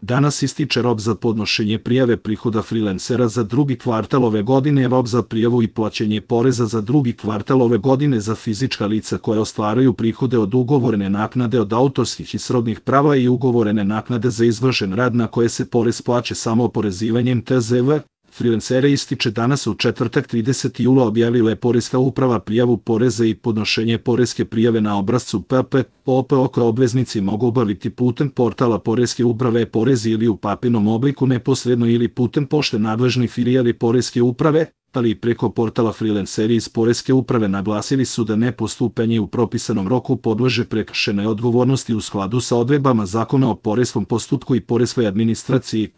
Danas ističe rok za podnošenje prijave prihoda freelancera za drugi kvartal ove godine, rok za prijavu i plaćanje poreza za drugi kvartal ove godine za fizička lica koje ostvaruju prihode od ugovorene naknade od autorskih i srodnih prava i ugovorene naknade za izvršen rad na koje se porez plaća samo oporezivanjem TZV. Freelancere ističe danas u četvrtak 30. jula objavila je Poreska uprava prijavu poreza i podnošenje poreske prijave na obrascu PPOPO koje obveznici mogu obaviti putem portala Poreske uprave porezi ili u papirnom obliku neposredno ili putem pošte nadležnih filijali Poreske uprave, ali i preko portala. Freelanceri iz Poreske uprave naglasili su da nepostupanje u propisanom roku podleže prekršajnoj odgovornosti u skladu sa odredbama Zakona o poreskom postupku i poreskoj administraciji.